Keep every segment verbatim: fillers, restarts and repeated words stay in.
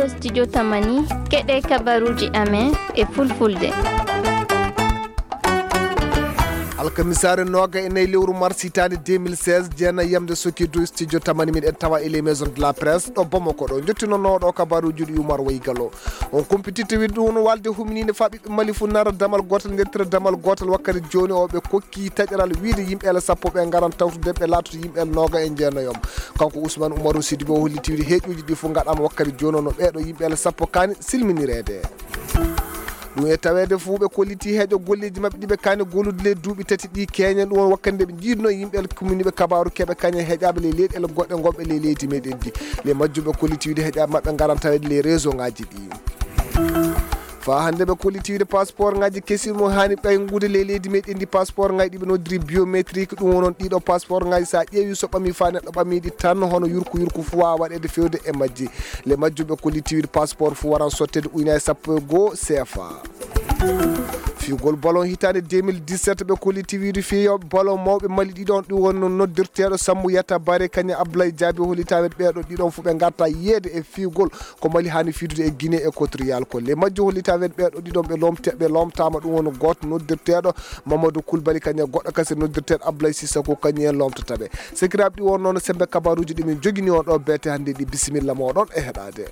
Studio Tamani, keɗe kabaruuji amen e fulfulde. Alkamisaare nooga e nayi lewru mars hitaande deux mille seize, jeenayi yamde soki du studio Tamani, miɗen tawa e les maisons de la presse ɗo Bamako ɗo. Jottinonooɗo kabaruuji ɗi Umar Waygalo. On kumpititte wiɗde ɗum won walde humniinde faa ɓiɓɓe Mali fof nara damal gootal, ndettira damal gootal. Wakkati jooni o ɓe kokki taƴaral wiide yimɓe ele sappo ɓe ngaran tawtude ɓe laatoto yimɓe ele nooga e jeenayi. Kanko Ousmane Oumarou Sidibé o holliti wiide heeƴuuji ɗi fof ngaɗaama wakkati jooni o no ɓeeɗo yimɓe ele sappo kaani silminireede. Ɗum e taweede fof ɓe kolliti heeƴo golleeji maɓɓe ɗi ɓe kaani gollude ley duuɓi tati ɗi keeñen. Ɗum won wakkati nde ɓe njiidno yimɓe ele kumminiiɓe kabaaru keɓe kañe heeƴaaɓe ley leyɗeele goɗɗe gonɓe ley leydi meɗen ndi. Ley majjum ɓe kolliti wiide heeƴaaɓe maɓɓe ngaran taweede ley réseau ngaji ɗi. Faa hannde ɓe kolliti wiide passeport ngaji kesi mo haani ɓayngude ley leydi meɗen ndi, passeport ngaji ɗi ɓe noddiri biométrique. Ɗum wonon ɗiɗo passeport ngaji so a ƴeewi so ɓami faa neɗɗo ɓami ɗi tan hono yurku yurku fof waawa waɗeede fewde e majji. Ley majjum ɓe kolliti wiide passeport fof waran sotteede ujunaaji sappo e goo C F A. Fiyugol ballon hitaande deux mille dix-sept ɓe kolliti wiide fiyo ballon mawɓe Mali ɗiɗon ɗum wonno noddirteeɗo Sammou Yatta Baré kañum Abdoulaye Diaby hollitaama ɓeeɗo ɗiɗon fof ɓe ngarta yiyeede e fiyugol ko Mali haani fiidude e Guinée Équatoriale ko. Ley majjum hollitaama ɓeeɗo ɗiɗon ɓe lomte-, ɓe lomtaama ɗum woni gooto noddirteeɗo Mamadou Koulibaly kañum e goɗɗo kasi noddirteeɗo Abdoulaye Cissokho kañum en lomtata ɓe. Sekiraaɓe ɗi won noon semmbe kabaruuji ɗi min jogini on ɗo beete hannde ɗi bisimilla mooɗon e heɗaade.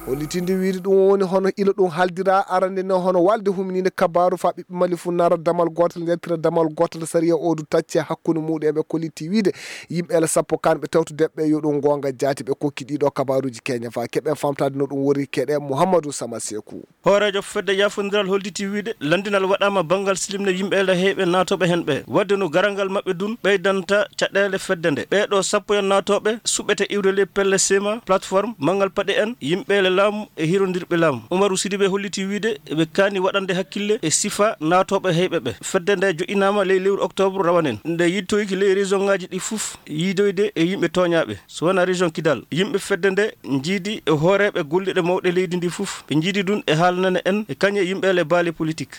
Hollitinde wiide ɗum woni hono ilo ɗum haaldira arande ne hono walde humniinde kabaaru faa ɓiɓɓe Mali fof nara damal gootal njaltira damal gootal sariya o du tacce hakkunde muɗum e ɓe kolliti wiide yimɓe ele sappo kanɓe tawtude ɓe yo ɗum goonga jaati ɓe kokki ɗiɗo kabaruuji keña faa keɓen famtaade no ɗum woni keɗe Mouhamadou Sama Sekou. Hooreejo fedde yaafondiral holliti wiide lanndinal waɗaama banngal silimne yimɓe ele heyɓe naatooɓe heen ɓe. Waɗde no garal ngal maɓɓe dun ɓeydanta caɗeele fedde nde. Ɓee ɗoo sappo en naatooɓe suɓete iwde ley pelle sema plateforme manngal paɗe en yimɓe ele laamu e hirondirɓe laamu. Umaru Sidibe holliti wiide ɓe kaani waɗande hakkille e sifa naatooɓe heyɓe ɓe. Fedde nde joƴƴinaama ley lewru octobre rawanen. Nde yittoyki ley région ngaji ɗi fof yiidoyde e yimɓe tooñaaɓe. So wonaa région Kidal, yimɓe fedde nde njiidi e hooreeɓe golliiɓe mawɓe leydi ndi fof. Ɓe njiidi ɗum e haalnana en e kañe yimɓe ele baali politik.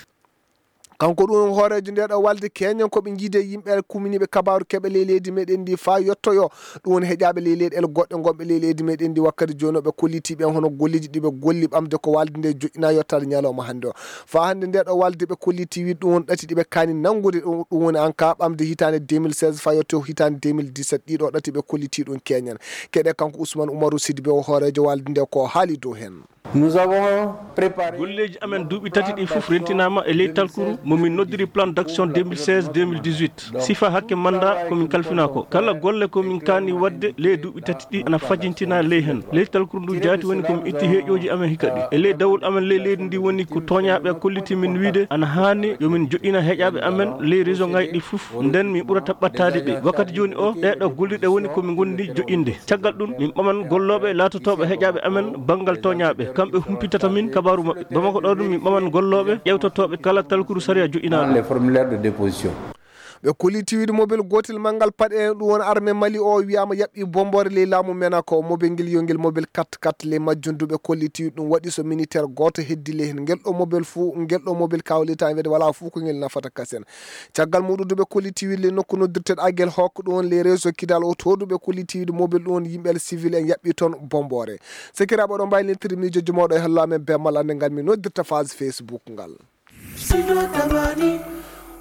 Kanko ɗum hooreejo nde ɗo walde keñen ko ɓe njiidi e yimɓe ele kumminiiɓe kabaaru keɓe ley leydi meɗen ndi faa yottoyo. Ɗum woni heƴaaɓe ley leyɗeele goɗɗe gonɓe ley leydi meɗen ndi wakkati jooni o ɓe kolliti ɓen hono golleeji ɗi ɓe golli ɓamde ko walde nde joƴƴina yottaade ñalawma hannde o. Faa hannde nde ɗo walde ɓe kolliti wiide ɗum woni ɗati ɗi ɓe kaani nanngude ɗum, ɗum woni en ka ɓamde hitaande deux mille seize faa yotto hitaande deux mille dix-sept ɗiɗo ɗati ɓe kolliti ɗum keñen. Keɗe kanko Ousmane Oumarou Sidibe o hooreejo walde nde ko haali dow heen. Nous avons préparé golleeji amen duuɓi tati ɗi fof rentinaama e ley talkuru mo min noddiri plan d'action deux mille seize deux mille dix-huit. Sifa hakke manda ko min kalfinaa ko. Kala golle ko min kaani waɗde ley duuɓi tati ɗi ana fajintina ley heen. Ley talkuru ndu jaati woni ko min itti heeƴooji amen hikka ɗi. E ley dawol amen ley leydi ndi woni ko tooñaaɓe kolliti min wiide ana haani yo min joƴƴina heeƴaaɓe amen ley région ngaji ɗi fof. Nden min ɓurata ɓattaade ɓe. Wakkati jooni o, ɗee ɗo gollirɗe woni ko min ngondi joƴƴinde. Caggal ɗum, min ɓaman gollooɓe laatotooɓe heeƴaaɓe amen banngal tooñaaɓe. Kamɓe humpitata min kabaaru maɓɓe. Bamako ɗo ɗum, min ɓaman gollooɓe ƴewtotooɓe kala talkuru sariya joƴƴinaaɗo. Les formulaires de déposition. Ɓe kolliti wiide mobel gootel manngal paɗe en, ɗum woni armée Mali o wiyaama yaɓɓi bomboore ley laamu Menako. Mobel ngel yo ngel mobel kat kat ley majjum du ɓe kolliti wiide ɗum waɗi so militaire gooto heddi ley heen. Ngel ɗo mobel fuu, ngel ɗo mobel kawlitaama wiide walaa fuu ko ngel nafata kasen. Caggal muɗum du ɓe kolliti wiide ley nokku noddirteeɗo Agel Hok ɗum woni ley réseau Kidal o to du ɓe kolliti wiide mobel ɗum woni yimɓe civil en yaɓɓi toon bomboore. Sekiraaɓe oɗon mbaawi lelnitde miijooji mooɗon e hello amen bee malla annde ngal min noddirta page Facebook ngal.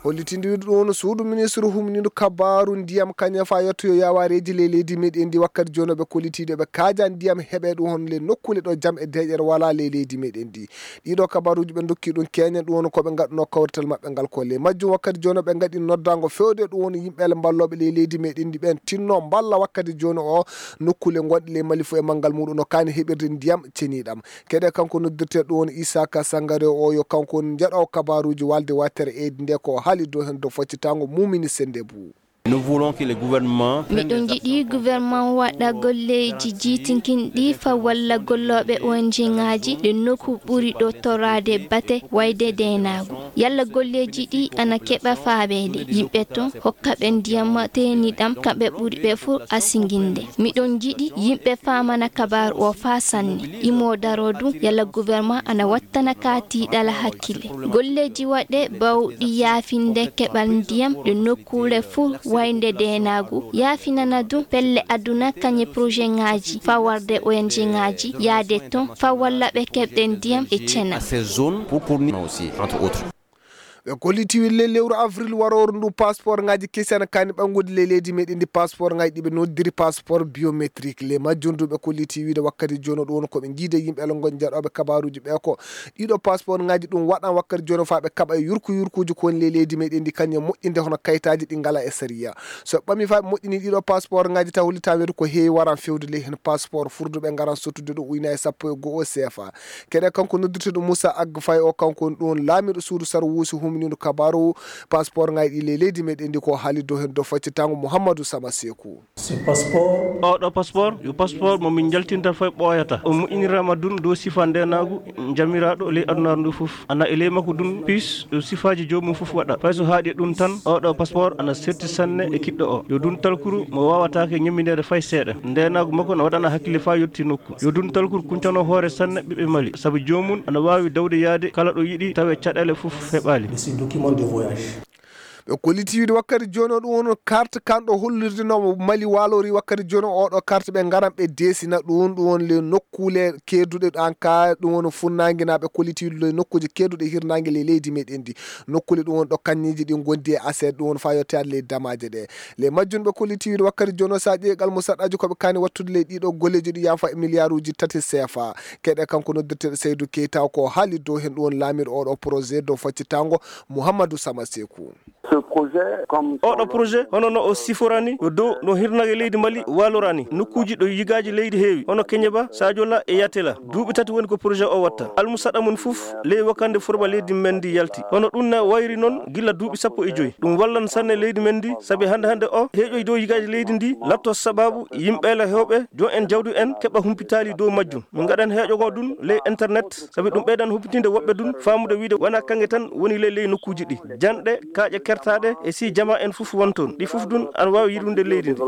Hollitinde wiide ɗum woni suudu ministre humniiɗo kabaaru ndiyam kañum faa yettoyo yaawareeji ley leydi meɗen ndi wakkati jooni o ɓe kolliti ɗo ɓe kaaja ndiyam heɓe ɗum hono ley nokkuule ɗo jam e deeƴere walaa ley leydi meɗen ndi. Ɗiɗo kabaruuji ɓe ndokki ɗum keñen ɗum woni ko ɓe ngaɗuno kawrital maɓɓe ngal ko ley majjum wakkati jooni o ɓe ngaɗi noddaango fewde ɗum woni yimɓe ele mballooɓe ley leydi meɗen ndi ɓen tinno mballa wakkati jooni o nokkuule gonɗe ley Mali fof e manngal muɗum no kaani heɓirde ndiyam ceniɗam. Keɗe kanko noddirteeɗo ɗum woni Isaka Sangare o yo kanko woni njaɗo kabaruuji walde wattere eydi nde ko o haali dow heen dow faccitaango Mumini Sendebu. Nous voulons que le gouvernement prenne des actions. Miɗo jiɗi gouvernement waɗa golleeji jiitinkinɗi faa walla gollooɓe O N G ngaaji ɗe nokku ɓuri ɗo toraade bate wayde deenaagu. Yalla golleeji ɗi ana keɓa faabeede yimɓe ton, hokka ɓe ndiyam teeniɗam kamɓe ɓuri ɓe fof asinginde. Miɗo jiɗi yimɓe faamana kabaaru o faa sanne. Imo daro du yalla gouvernement ana wattana ka tiiɗala hakkille. Golleeji waɗe bawɗi yaafinde keɓal ndiyam ɗe nokkuule fof Wayde deenaagu yaafinana ɗum pelle aduna kañe projet ŋaaji faa warde O N G ŋaaji yaade toon faa walla ɓe keɓde ndiyam e cena. Ɓe kolliti wille lewru avril warooru ndu passeport ŋaaji kesi ana kaani ɓanngude ley leydi meɗen ndi passeport ŋaaji ɗiɓe noddiri passeport biométrique le majjundu ɓe kolliti wiide wakkati jono ɗum woni koɓe jiide yimɓe ala ngon jaɗoɓe kabaruji ɓe ko ɗiɗo passeport ŋaaji ɗum waɗan wakkati jono faa ɓe kaɓa e yurku yurkuji ko woni ley leydi meɗen ndi kañum moƴƴinde hono kayitaji ɗi ngala e sariya. So ɓami faa ɓe moƴƴini ɗiɗo passeport ŋaaji taw holli tan weedu ko heewi waran fewde ley heen passeport furduɓe ngaran sottude ɗum uyna e sappo e go'o sefa. Keɗe kanko noddirteɗo Moussa Agg Faye o kanko woni ɗum laamiɗo suudu sarwuusi humniiɗo kabaaru passeport ŋaaji ɗi ley leydi meɗen ndi ko haali dow heen dow faccitango Mouhamadou Sama Seku. Oɗo passeport yo passeport mo min jaltinta fay ɓooyata o moƴƴinirama dun dow sifa ndenaagu jamiraaɗo ley adunaaru ndu fof ana e ley makko dun pis ɗo sifaaji joomum fof waɗa fay so haaɗi e ɗum tan oɗo passeport ana serti sanne e kiɗɗo o yo dun talkuru mo waawataake ñemmindeede fay seeɗa ndenaagu makko na waɗana hakkille faa yotti nokku yo dun talkuru kuncano hoore sanne ɓiɓɓe mali sabu joomum ana waawi dawde yaade kala ɗo yiɗi tawe caɗeele fof heɓaali. Ɓe kolliti wiide wakkati jooni o ɗum woni carte kanɗo hollirde no mali waalori wakkati jooni o oɗo carte ɓe ngaran ɓe deesina ɗum ɗum woni le nokkuule keeduɗe an ka ɗum woni funnaange na ɓe kolliti wiide le nokkuuje keeduɗe hirnaange le leydi meɗen ndi nokkuule ɗum woni ɗo kanniiji ɗi ngondi e aset ɗum woni faa yottoyaade ley damaaje ɗe. Le majjun ɓe kolliti wiide wakkati jooni o so a ƴeewi almusaɗɗaaji ko ɓe kaani wattude ley ɗiɗo golleeji ɗi yaafa e milliarduuji tati sefa. Keɗe kanko noddirteeɗo Seydou Keita ko haali dow heen ɗum woni laamiiɗo oɗo projet dow faccitango Mouhamadou Sama Seku. Oɗo projet hono no o siforani ko dow no hirnage leydi Mali waalorani nokkuuji ɗo yigaaji leydi heewi hono Keñeba, Sajola e Yatela. Duuɓi tati woni ko projet o watta. Almusaɗa mum fof ley wakande forba leydi men ndi yalti. Hono ɗum na wayri noon gila duuɓi sappo e joyi. Ɗum wallan sanne leydi men ndi sabi hannde hannde o heeƴoy dow yigaaji leydi ndi latto sababu yimɓeele heewɓe joom en jawdi en keɓa humpitaali dow majjum. Min ngaɗan heeƴo goo ɗum ley internet sabi ɗum ɓeydan humpitinde woɓɓe ɗum faamude wiide wonaa kaŋŋe tan woni ley ley nokkuuji ɗi. Janɗe, kaaƴe kertaaɗe e sii jamaa en fof won toon. Ɗi fof ɗum ana waawi yiɗunde leydi ndi.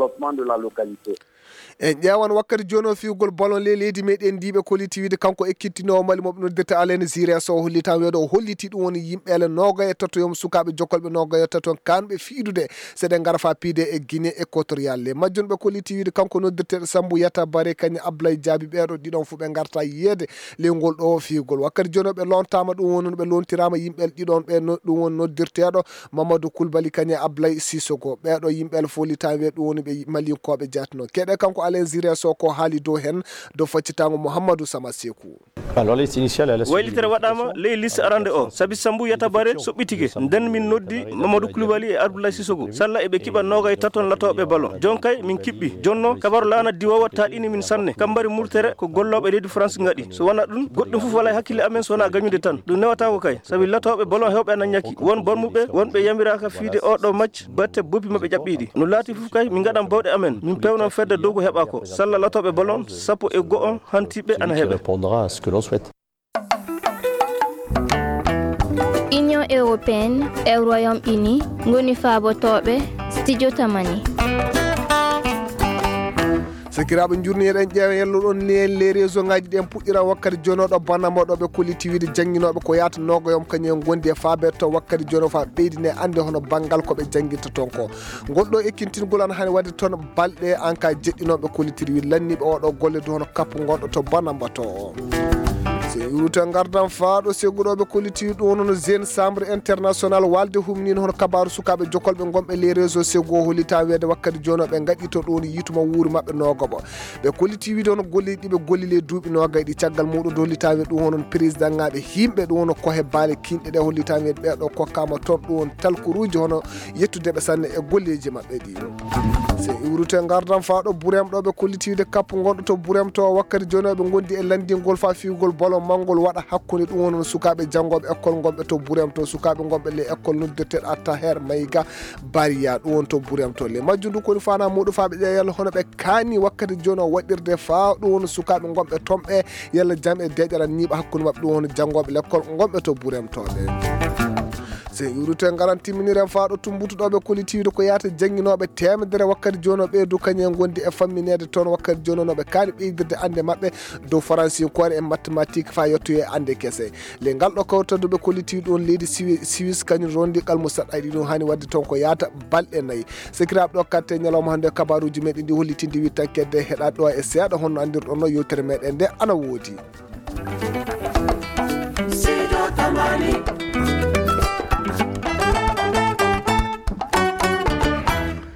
En ƴeewan wakkati jooni o fiyugol ballon ley leydi meɗen ndi ɓe kolliti wiide kanko ekkitinoowo Mali mo ɓe noddirta Alain Giresse o holli tan weedo o holliti ɗum woni yimɓe ele noogay e tato yom sukaaɓe jokkolɓe noogay e tato kanɓe fiidude seɗe ngara faa piide e Guinée Équatoriale. Ley majjum ɓe kolliti wiide kanko noddirteeɗo Sambu Yata Bare kañum Ablaye Jaabi ɓeeɗo ɗiɗon fof ɓe ngarta yiyeede ley ngol ɗo fiyugol wakkati jooni o ɓe lontaama ɗum woni no ɓe lontiraama yimɓe ɗiɗon ɓe ɗum woni noddirteeɗo Mamadou Koulibaly kañum e Ablaye Sissoko ɓeeɗo yimɓe fof holli tan wiide ɗum woni ɓe malinkooɓe jaatino keɗe kanko Alain Giresse o ko haali dow heen dow faccitango Mouhamadou Sama Seku. Waylitere waɗaama ley liste arande o sabi Sambu Yata Bare soɓɓitike nden min noddi Mamadou Koulibaly e Abdoulaye Sissoko salla eɓe kiɓa noogay taton latooɓe ballon jon kay min kiɓɓi jonno kabaru laana diwoowa taaɗini min sanne kambari murtere ko gollooɓe leydi France ngaɗi so wona ɗum goɗɗum fof wala e hakkille amen so wona gañude tan ɗum newataako kay sabi latooɓe ballon hewɓe ana ñaki won bormuɓe wonɓe yamiraaka fiide oɗo macc batte boppi maɓɓe ƴaɓɓiiɗi no laati fof kay min ngaɗan bawɗe amen min pewnan fedde dow ko heɓa ko salla latooɓe ballon sappo e go'o hantiɓɓe ana heɓe. Union européenne e Royaume-Uni ngoni faabotooɓe studio tamani. Sakiraaɓe njurni eɗen ƴeewa yelloɗon ni en les réseau ngaji ɗen puɗɗira wakkati jonoɗo banama ɗo ɓe kolliti wiide jannginooɓe ko yaata nogoyom kañum en gondi e faabe to wakkati jono fa ɓeydine annde hono banngal ko ɓe jannginta toon ko ngol ɗo ekkintingol an hani waɗde toon balɗe an ka jeɗɗinooɓe kollitiri wiide lanniiɓe oɗo golle du hono kappu gonɗo to banamba to o. So iwrute ngardan faaɗo segguɗoɓe kolliti ɗum noon jeune chambre international walde humnino hono kabaru sukaɓe jokolɓe gonɓe les réseau sego hollita weede wakkati jono ɓe gaɗi to ɗum yituma wuuri maɓɓe nogoɓo ɓe kolliti wiide hono golleji ɗiɓe golli ley duuɓi nogay ɗi caggal muɗum dollita wiide ɗum honon président ngaɓe himɓe ɗum hono kohe baale kinɗe ɗe hollita wiide ɓeɗo kokkama toon ɗum talkuruji hono yettudeɓe sanne e golleji maɓɓe ɗi. So iwrute ngardan faaɗo burem ɗo ɓe kolliti wiide kappu gonɗo to burem to wakkati joni ɓe gondi e landingol fa fiwgol ballon mangol waɗa hakkunde ɗum woni sukaɓe jangoɓe école gonɓe to burem to sukaɓe gonɓe les école noddirteɗo attaher mayga bariya ɗum woni to burem to le majjum ndu koni fana muɗum fa ɓe ƴeewa yalla hono ɓe kani wakkati joni o waɗirde fa ɗum woni sukaɓe gonɓe tomɓe yalla jam e deƴaral ñiiɓa hakkunde maɓɓe ɗum woni jangoɓe l'école gonɓe to burem to ɓe. Sen iwrito e ngaran timminiren faaɗo tumbutuɗooɓe kollitiiwde ko yaata jannginooɓe teemedere wakkati jooni o ɓeydu kañum en ngondi e fammineede toon wakkati jooni o no ɓe kaani ɓeydirde annde maɓɓe dow faransinkoore e mathématique faa yettoye annde kese. Le ngal ɗo kawtaduɓe kollitiiwde on leydi Siwi- siwis kañum rondi qalmu saɗɗayɗi ɗum hani wadde toon ko yaata balɗe nayi. Sekiraaɓe ɗo katte ñalawma hannde kabaruuji meɗen ɗi hollitinde wittankedde heɗaɗo e seeɗa honno anndirɗon no yewtere meɗen nde ana woodi. Sido Tamani.